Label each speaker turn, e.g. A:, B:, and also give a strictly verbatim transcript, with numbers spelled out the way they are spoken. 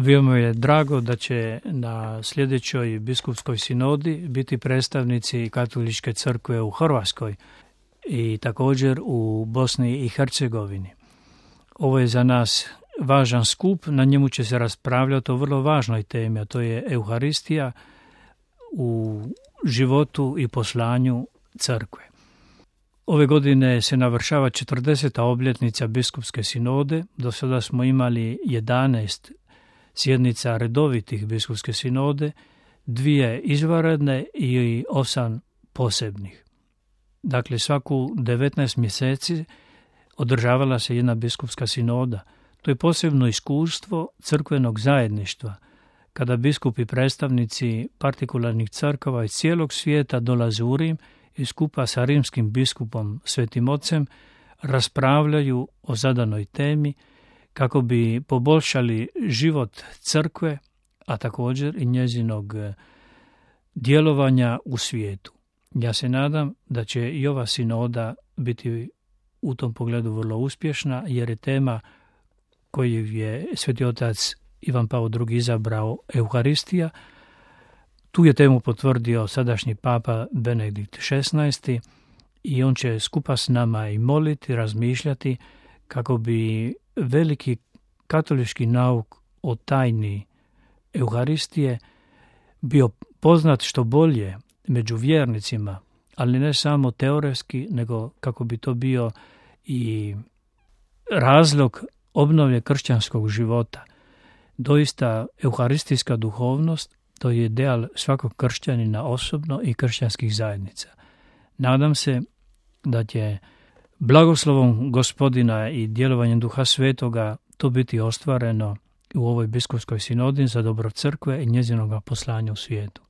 A: Veoma je drago da će na sljedećoj biskupskoj sinodi biti predstavnici Katoličke crkve u Hrvatskoj i također u Bosni i Hercegovini. Ovo je za nas važan skup, na njemu će se raspravljati o vrlo važnoj temi, a to je Euharistija u životu i poslanju crkve. Ove godine se navršava četrdeseta obljetnica biskupske sinode. Do sada smo imali jedanaest sjednica redovitih biskupske sinode, dvije izvanredne i osam posebnih. Dakle, svaku devetnaest mjeseci održavala se jedna biskupska sinoda. To je posebno iskustvo crkvenog zajedništva, kada biskupi predstavnici partikularnih crkava iz cijelog svijeta dolaze u Rim i skupa sa rimskim biskupom Svetim Ocem raspravljaju o zadanoj temi kako bi poboljšali život crkve, a također i njezinog djelovanja u svijetu. Ja se nadam da će i ova sinoda biti u tom pogledu vrlo uspješna, jer je tema koju je Sveti Otac Ivan Pavao drugi izabrao Euharistija. Tu je temu potvrdio sadašnji papa Benedikt šesnaesti i on će skupa s nama i moliti, razmišljati kako bi veliki katolički nauk o tajni Euharistije bio poznat što bolje među vjernicima, ali ne samo teoretski, nego kako bi to bio i razlog obnove kršćanskog života. Doista, euharistijska duhovnost, to je ideal svakog kršćanina osobno i kršćanskih zajednica. Nadam se da će blagoslovom Gospodina i djelovanjem Duha Svetoga to biti ostvareno u ovoj biskupskoj sinodi za dobro crkve i njezinoga poslanja u svijetu.